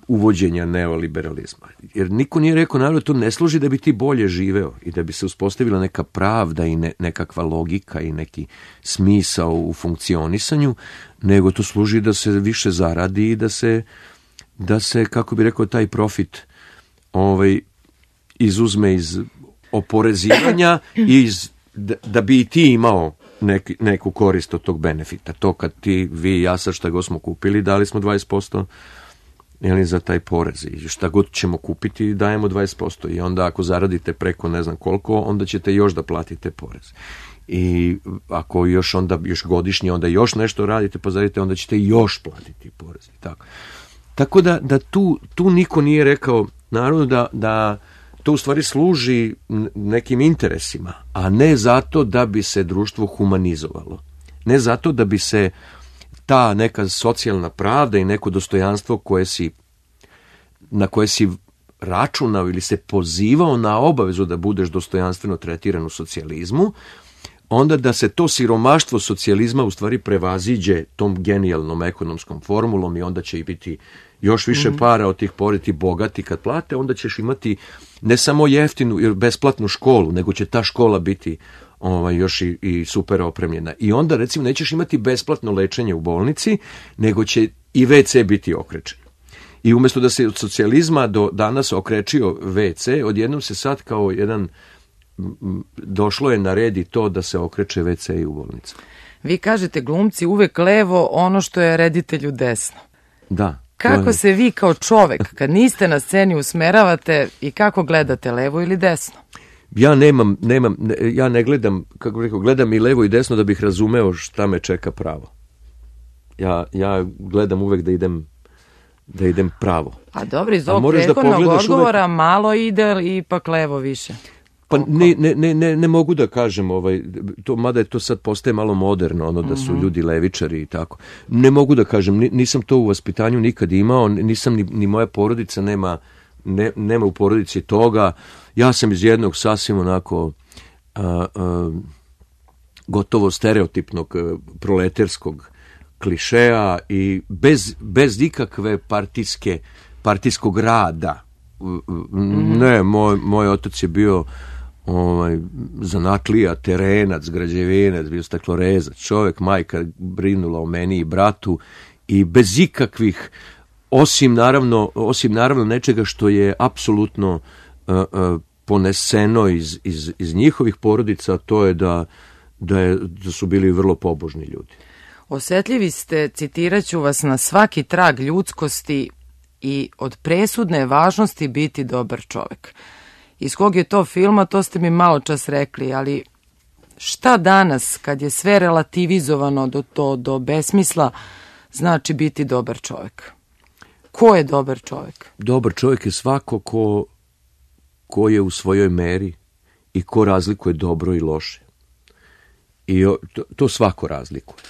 uvođenja neoliberalizma. Jer niko nije rekao, naravno, to ne služi da bi ti bolje živeo i da bi se uspostavila neka pravda i nekakva logika i neki smisao u funkcionisanju, nego to služi da se više zaradi i da se, kako bi rekao, taj profit izuzme iz oporezivanja i da bi i ti imao neku korist od tog benefita. To kad vi i ja sad šta god smo kupili, dali smo 20% za taj porez i šta god ćemo kupiti dajemo 20% i onda ako zaradite preko ne znam koliko, onda ćete još da platite porez. I ako još godišnje onda još nešto radite pa zaradite, onda ćete još platiti porez. Tako da tu niko nije rekao naravno da to u stvari služi nekim interesima, a ne zato da bi se društvo humanizovalo. Ne zato da bi se ta neka socijalna pravda i neko dostojanstvo na koje si računao ili se pozivao na obavezu da budeš dostojanstveno tretiran u socijalizmu, onda da se to siromaštvo socijalizma u stvari prevaziđe tom genijalnom ekonomskom formulom i onda će i biti još više para od tih poreti bogati kad plate, onda ćeš imati ne samo jeftinu ili besplatnu školu, nego će ta škola biti još i super opremljena. I onda recimo nećeš imati besplatno lečenje u bolnici, nego će i WC biti okrečen. I umjesto da se od socijalizma do danas okrečio WC, odjednom se sad kao došlo je na red i to da se okreće WC i u bolnici. Vi kažete glumci uvek levo ono što je reditelju desno. Da. Kako se vi kao čovek, kad niste na sceni, usmeravate i kako gledate, levo ili desno? Ja ne gledam, kako bih rekao, gledam i levo i desno da bih razumeo šta me čeka pravo. Ja gledam uvek da idem pravo. A dobro, iz ovog prethodnog odgovora malo ide ipak levo više. Pa ne mogu da kažem, mada je to sad postaje malo moderno, da su ljudi levičari i tako. Ne mogu da kažem, nisam to u vaspitanju nikad imao, nisam ni moja porodica nema u porodici toga. Ja sam iz jednog sasvim onako gotovo stereotipnog proleterskog klišeja i bez ikakve partijskog rada. Ne, moj otac je bio zanatlija, terenac, građevinac, bio staklorezac, čovjek, majka brinula o meni i bratu i bez ikakvih, osim naravno nečega što je apsolutno poneseno iz njihovih porodica, to je da su bili vrlo pobožni ljudi. Osjetljivi ste, citirat ću vas, na svaki trag ljudskosti i od presudne važnosti biti dobar čovek. Iz kog je to filma, to ste mi malo čas rekli, ali šta danas, kad je sve relativizovano do besmisla, znači biti dobar čovek? Ko je dobar čovek? Dobar čovjek je svako ko je u svojoj meri i ko razlikuje dobro i loše. I to svako razlikuje.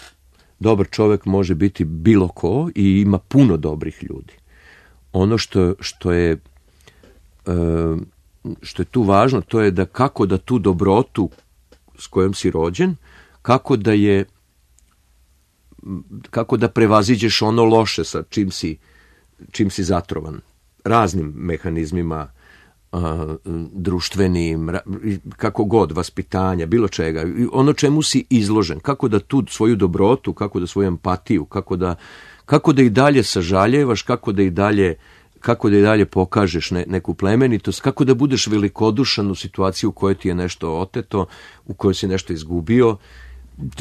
Dobar čovjek može biti bilo ko i ima puno dobrih ljudi. Ono što je tu važno, to je da kako da tu dobrotu s kojom si rođen, kako da prevaziđeš ono loše sa čim si zatrovan. Raznim mehanizmima, društvenim, kako god, vaspitanja, bilo čega. Ono čemu si izložen, kako da tu svoju dobrotu, kako da svoju empatiju, kako da i dalje sažaljevaš, kako da i dalje pokažeš neku plemenitost, kako da budeš velikodušan u situaciji u kojoj ti je nešto oteto, u kojoj si nešto izgubio.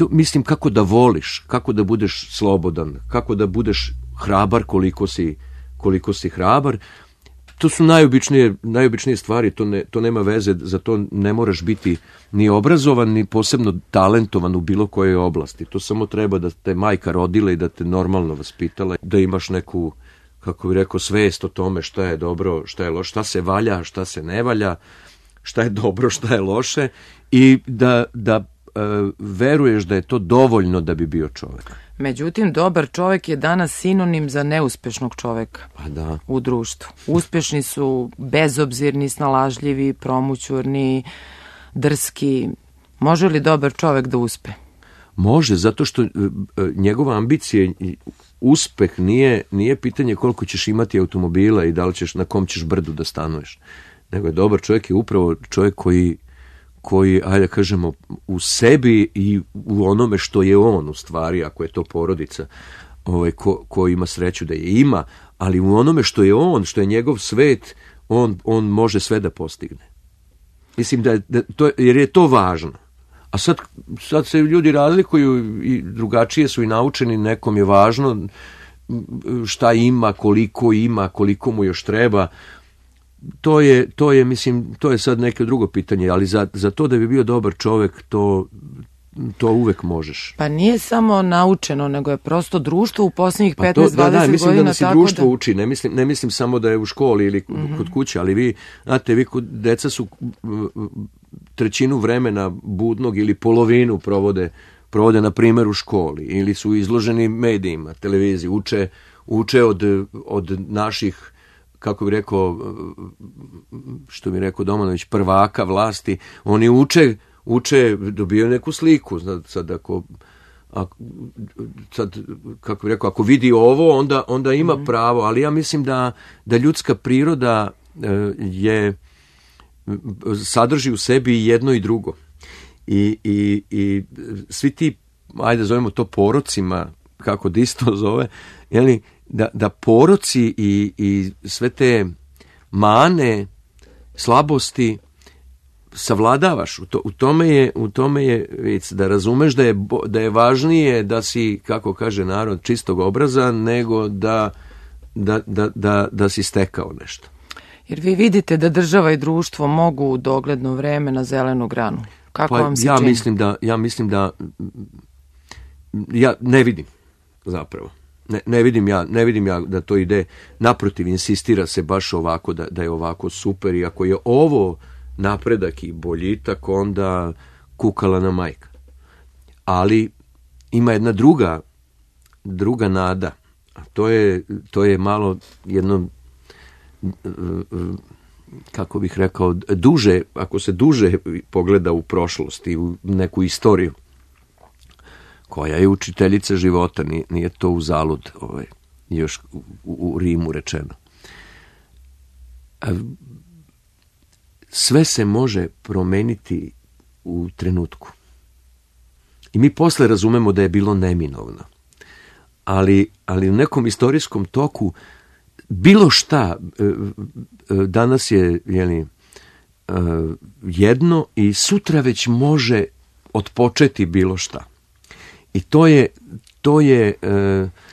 Mislim, kako da voliš, kako da budeš slobodan, kako da budeš hrabar koliko si hrabar. To su najobičnije stvari, to nema veze, za to ne moraš biti ni obrazovan, ni posebno talentovan u bilo kojoj oblasti. To samo treba da te majka rodila i da te normalno vaspitala, da imaš neku, kako bih rekao, svest o tome šta je dobro, šta je loše, šta se valja, šta se ne valja, šta je dobro, šta je loše i da veruješ da je to dovoljno da bi bio čovjek. Međutim, dobar čovjek je danas sinonim za neuspešnog čovjeka u društvu. Uspješni su bezobzirni, snalažljivi, promućurni, drski. Može li dobar čovjek da uspe? Može, zato što njegova ambicija i uspeh nije pitanje koliko ćeš imati automobila i da li ćeš, na kom ćeš brdu da stanuješ. Nego je dobar čovjek je upravo čovjek koji, ajde kažemo, u sebi i u onome što je on u stvari, ako je to porodica, ko ima sreću da je ima, ali u onome što je on, što je njegov svet, on može sve da postigne. Mislim jer je to važno. A sad se ljudi razlikuju i drugačije su i naučeni, nekom je važno šta ima, koliko mu još treba. To je, mislim, to je sad neko drugo pitanje, ali za to da bi bio dobar čovjek, to uvek možeš. Pa nije samo naučeno, nego je prosto društvo u posljednjih 15-20 godina. Mislim da nas i društvo uči, ne mislim samo da je u školi ili kod kuće, ali vi deca su trećinu vremena budnog ili polovinu provode na primjer u školi, ili su izloženi medijima, televiziji, uče od naših, kako bi rekao, što bi rekao Domanović, prvaka vlasti. Oni uče, dobijaju neku sliku. Kako bi rekao, ako vidi ovo, onda ima pravo, ali ja mislim da ljudska priroda sadrži u sebi jedno i drugo. I svi ti, ajde zovemo to porocima, kako Disto zove, jeli, da poroci i sve te mane, slabosti savladavaš. U tome je vic, da razumeš da je važnije da si, kako kaže narod, čistog obraza, nego da si stekao nešto. Jer vi vidite da država i društvo mogu u dogledno vreme na zelenu granu. Kako vam se čini? Ja ne vidim zapravo. Ne vidim ja da to ide, naprotiv, insistira se baš ovako, da je ovako super, i ako je ovo napredak i boljitak, onda kukala na majka. Ali ima jedna druga nada, a to je malo jedno, kako bih rekao, duže, ako se duže pogleda u prošlost i u neku istoriju, koja je učiteljica života, nije to uzalud, još u Rimu rečeno. Sve se može promeniti u trenutku. I mi posle razumemo da je bilo neminovno. Ali u nekom istorijskom toku bilo šta danas je jedno i sutra već može otpočeti bilo šta. I to je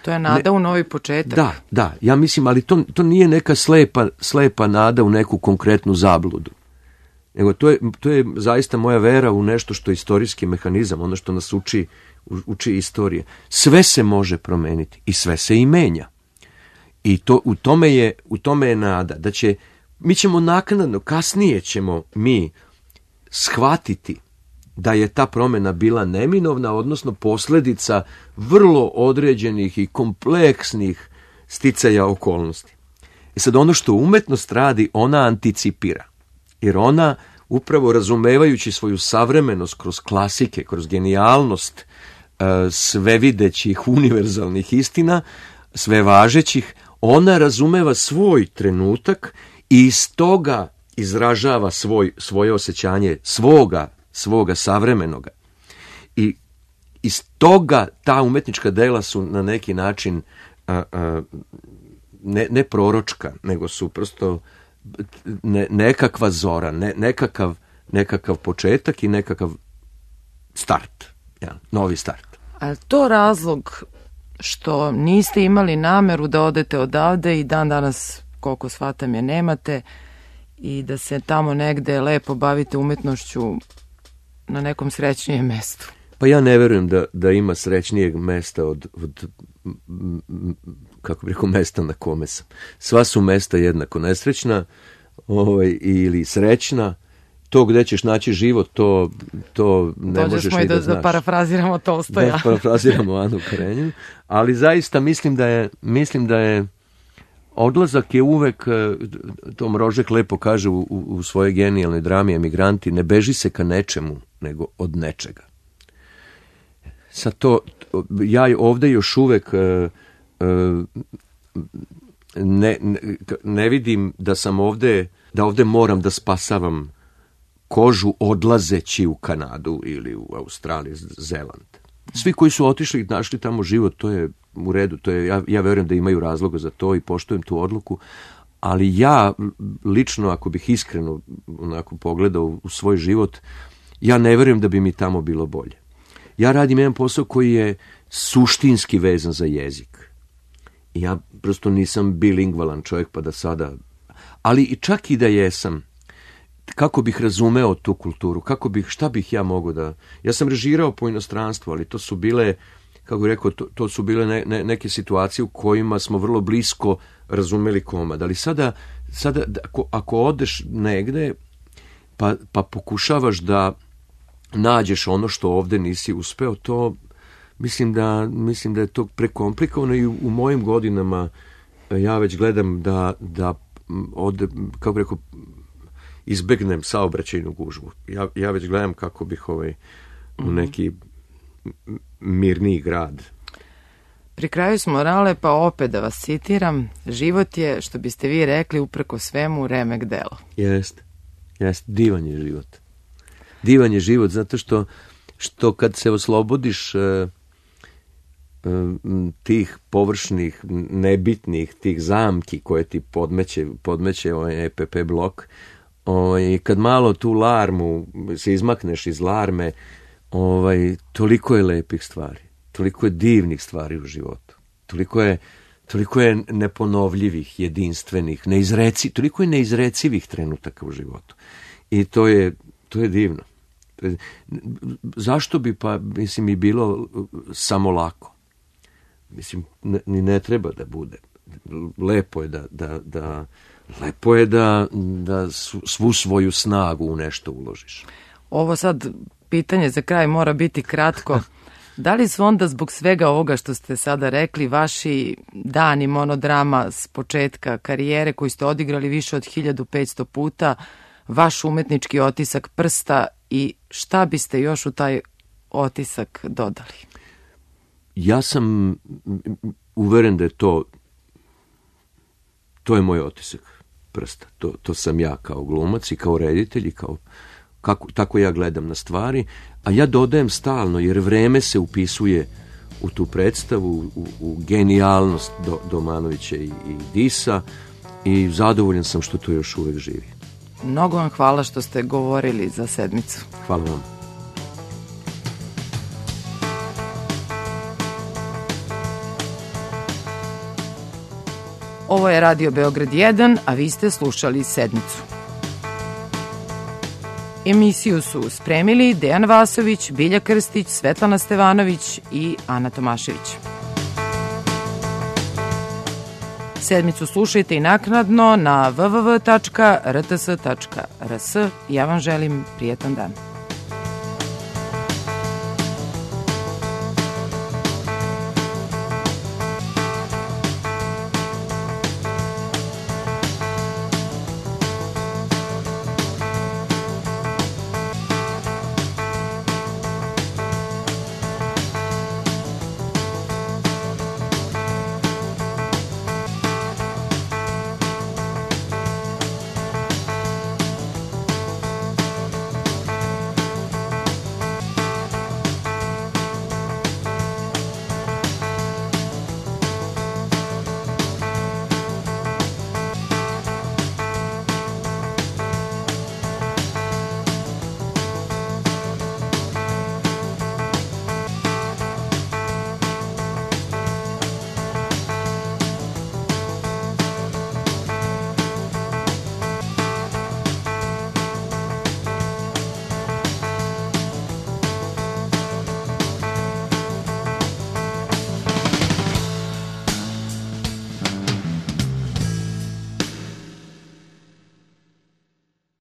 nada u novi početak. Da, ja mislim, ali to nije neka slepa nada u neku konkretnu zabludu. Nego to je zaista moja vera u nešto što je istorijski mehanizam, ono što nas uči istorije. Sve se može promeniti i sve se i menja. I u tome je nada da mi ćemo naknadno, kasnije ćemo mi shvatiti da je ta promjena bila neminovna, odnosno posljedica vrlo određenih i kompleksnih sticaja okolnosti. I sad ono što umetnost radi, ona anticipira. Jer ona, upravo razumevajući svoju savremenost kroz klasike, kroz genijalnost svevidećih univerzalnih istina, sve važećih, ona razumeva svoj trenutak i iz toga izražava svoje osjećanje svoga savremenoga. I iz toga ta umetnička dela su na neki način ne proročka, nego su prosto nekakva zora, nekakav početak i nekakav start, novi start. A to razlog što niste imali nameru da odete odavde i dan danas, koliko shvatam je, nemate, i da se tamo negde lepo bavite umetnošću na nekom srećnijem mestu? Pa ja ne verujem da ima srećnijeg mesta od kako bih rekao, mesta na kome sam. Sva su mesta jednako nesrećna ili srećna. To gde ćeš naći život, to ne možeš ni da znaš. Da parafraziramo Tolstoja. Da parafraziramo Anu Karenjinu. Ali zaista mislim da je odlazak je uvek, to Mrožek lepo kaže u svojoj genijalnoj drami Emigranti, ne beži se ka nečemu, nego od nečega. Sad ja ovde još uvek ne vidim da sam ovde moram da spasavam kožu odlazeći u Kanadu ili u Australiju, Zeland. Svi koji su otišli i našli tamo život, to je u redu, ja verujem da imaju razloga za to i poštujem tu odluku, ali ja lično, ako bih iskreno onako pogledao u svoj život, ja ne verujem da bi mi tamo bilo bolje. Ja radim jedan posao koji je suštinski vezan za jezik. I ja prosto nisam bilingvalan čovjek pa da sada... Ali čak i da jesam, kako bih razumeo tu kulturu, šta bih ja mogao da... Ja sam režirao po inostranstvu, ali to su bile, kako bih rekao, to su bile neke situacije u kojima smo vrlo blisko razumeli komad. Ali sada ako odeš negde pa pokušavaš da nađeš ono što ovde nisi uspeo, to mislim da je to prekomplikovano i u mojim godinama ja već gledam da ovde, kako bih rekao, izbegnem saobraćajnu gužvu. Ja već gledam kako bih u neki mirniji grad. Pri kraju smo, Rale, pa opet da vas citiram, život je, što biste vi rekli, upreko svemu remek delo. Jeste, divan je život. Divan je život zato što kad se oslobodiš tih površnih, nebitnih, tih zamki koje ti podmeće EPP blok, kad malo tu larmu se izmakneš iz larme, toliko je lepih stvari, toliko je divnih stvari u životu, toliko je neponovljivih, jedinstvenih, toliko je neizrecivih trenutaka u životu. I to je divno. Zašto bi i bilo samo lako? Mislim, ni ne treba da bude. Lepo je lepo je da svu svoju snagu u nešto uložiš. Ovo sad pitanje za kraj mora biti kratko. Da li su onda zbog svega ovoga što ste sada rekli vaši dani monodrama s početka karijere koji ste odigrali više od 1500 puta, vaš umetnički otisak prsta i šta biste još u taj otisak dodali? Ja sam uveren da je to je moj otisak prsta. To sam ja kao glumac i kao reditelj i tako ja gledam na stvari, a ja dodajem stalno jer vreme se upisuje u tu predstavu, u genijalnost Domanovića i Disa i zadovoljan sam što to još uvek živi. Mnogo vam hvala što ste govorili za sedmicu. Hvala vam. Ovo je Radio Beograd 1, a vi ste slušali Sedmicu. Emisiju su spremili Dejan Vasović, Bilja Krstić, Svetlana Stevanović i Ana Tomašević. Sedmicu slušajte i naknadno na www.rts.rs. Ja vam želim prijetan dan.